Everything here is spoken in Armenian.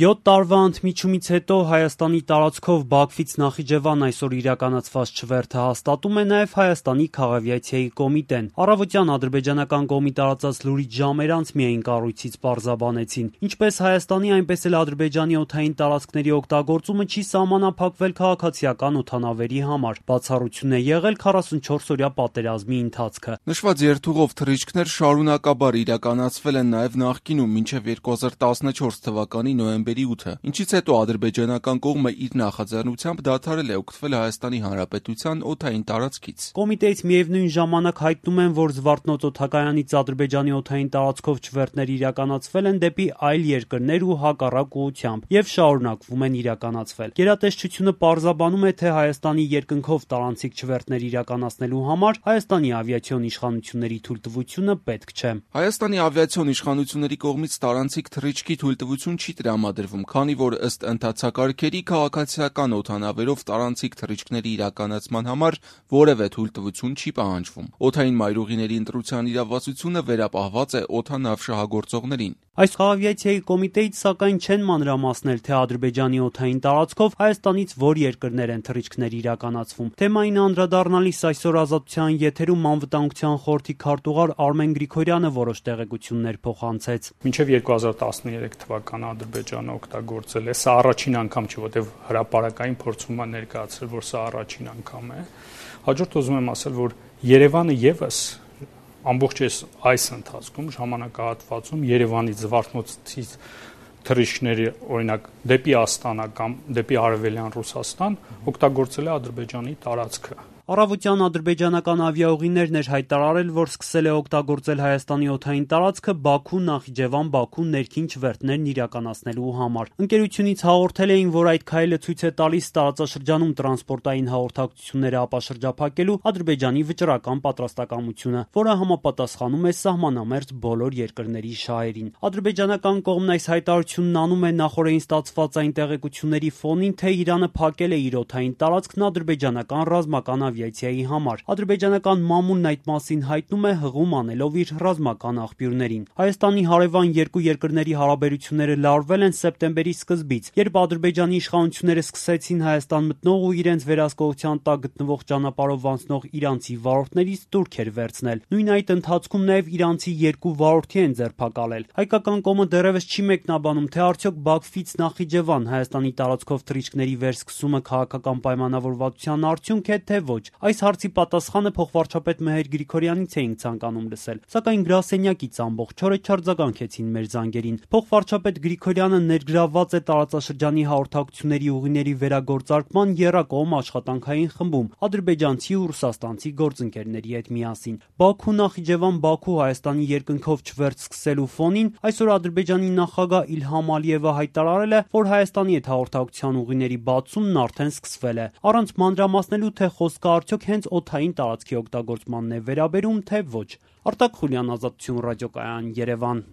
7 տարվա ընդմիջումից հետո Հայաստանի տարածքով Բաքվից Նախիջևան այսօր իրականացված չվերթը հաստատում է նաև Հայաստանի քաղավիացիայի կոմիտեն։ Առավոտյան ադրբեջանական կողմի տարածած լուրից ժամեր անց միայն կառույցից պարզաբանեցին։ Ինչպես Հայաստանի, այնպես էլ Ադրբեջանի օդային տարածքների օգտագործումը չի սահմանափակվել քաղաքացիական օդանավերի համար։ Բացառություն է եղել 44-օրյա պատերազմի ընթացքը։ Նշված երթուղով թռիչքներ շարունակաբար իրականացվել են նաև նախկինում մինչև 2014 թվականի նոյեմբերի 8-ը, ինչից հետո ադրբեջանական կողմը իր նախաձեռնությամբ դադարել է օգտվել Հայաստանի Հանրապետության օդային տարածքից։ Կոմիտեից միևնույն ժամանակ հայտնում են, որ Զվարթնոց օդակայանից Ադրբեջանի օդային տարածքով չվերթներ իրականացվել են դեպի այլ երկրներ ու հակառակ ուղղությամբ եւ շարունակվում են իրականացվել։ Գերատեսչությունը պարզաբանում է, թե Հայաստանի երկնքով տարանցիկ չվերթներ իրականացնելու համար Հայաստանի ավիացիոն իշխանությունների թույլտվությունը պետք չէ։ Հայաստանի ավիացիոն իշխանությունների կողմից տարանցիկ թռիչքի թույլտվություն չի տրամադրվում, քանի որ ըստ ընթացակարգերի քաղաքացիական օդանավերով տարանցիկ թռիչքների իրականացման համար որևէ թույլտվություն չի պահանջվում։ Օդային մայրուղիների ընտրության իրավասությունը վերապահված է օդանավ շահագործողներին։ Այս քաղավիացիայի կոմիտեից սակայն չեն մանրամասնել, թե Ադրբեջանի օդային տարածքով Հայաստանից որ երկրներ են թռիչքներ իրականացվում։ Թեմային անդրադառնալիս այսօր Ազատության եթերում անվտանգության խորհրդի քարտուղար Արմեն Գրիգորյանը որոշ տեղեկություններ փոխանցեց։ Մինչև 2013 թվականը Ադրբեջանը օգտագործել է, սա առաջին անգամ չէ, որտեղ հրապարակային փորձում է ներկայացրել, որ սա առաջին անգամ է։ Հաջորդ ուզում եմ ասել, որ Երևանը եւս ամբողջ այս ընթացքում ժամանակահատվածում Երևանից Զվարթնոցից թռիչքների օրինակ դեպի Աստանա կամ դեպի Արևելյան Ռուսաստան օգտագործել է Ադրբեջանի տարածքը։ Առավոտյան ադրբեջանական ավիաուղիներն էր հայտարարել, որ սկսել է օգտագործել Հայաստանի օդային տարածքը Բաքու-Նախիջևան-Բաքու ներքին չվերթներն իրականացնելու համար։ Ընկերությունից հաղորդել էին, որ այդ քայլը ցույց է տալիս տարածաշրջանում տրանսպորտային հաղորդակցությունները ապաշրջափակելու Ադրբեջանի վճռական պատրաստակամությունը, որը համապատասխանում է սահմանամերձ բոլոր երկրների շահերին։ Ադրբեջանական կողմն այս հայտարարությունն անում է նախօրեին ստացված այն տեղեկությունների ֆոնին, թե Իրանը փակել է իր օդային տարածքն ադրբեջանական ռազմական ավիացիայի համար։ Ադրբեջանական մամուլն այդ մասին հայտնում է հղում անելով իր ռազմական աղբյուրներին։ Հայաստանի հարևան երկու երկրների հարաբերությունները լարվել են սեպտեմբերի սկզբից, երբ Ադրբեջանի իշխանությունները սկսեցին Հայաստան մտնող ու իրենց վերահսկողության տակ գտնվող ճանապարհով անցնող իրանցի վարորդներից տուրքեր վերցնել։ Նույն այդ ընթացքում նաև իրանցի 2 վարորդի են ձերբակալել։ Հայկական կողմը դեռևս չի մեկնաբանում, թե արդյոք Բաքվից Նախիջևան Հայաստանի տարածքով թռիչքների վերսկսումը քաղաքական պայմանավորվածության արդյունք է, թե ոչ։ Այս հարցի պատասխանը փոխվարչապետ Մեհեր Գրիգորյանից էինք ցանկանում լսել, սակայն գրասենյակից ամբողջ օրը չարձագանքեցին մեր զանգերին։ Փոխվարչապետ Գրիգորյանը ներգրավված է տարածաշրջանի հաղորդակցությունների ուղիների վերագործարկման եռակողմ աշխատանքային խմբում ադրբեջանցի ու ռուսաստանցի գործընկերների հետ միասին։ Բաքու-Նախիջևան-Բաքու Հայաստանի երկնքով չվերթ սկսելու ֆոնին այսօր Ադրբեջանի նախագահ Իլհամ Ալիևը հայտարարել է, որ Հայաստանի հետ հաղորդակցության ուղիների բացումն արդեն սկսվել է, առանց մանրամասնելու, թե խոսքը արդյոք հենց օդային տարածքի օգտագործմանն է վերաբերում, թե ոչ։ Արտակ Խուլյան, Ազատություն ռադիոկայան, Երևան։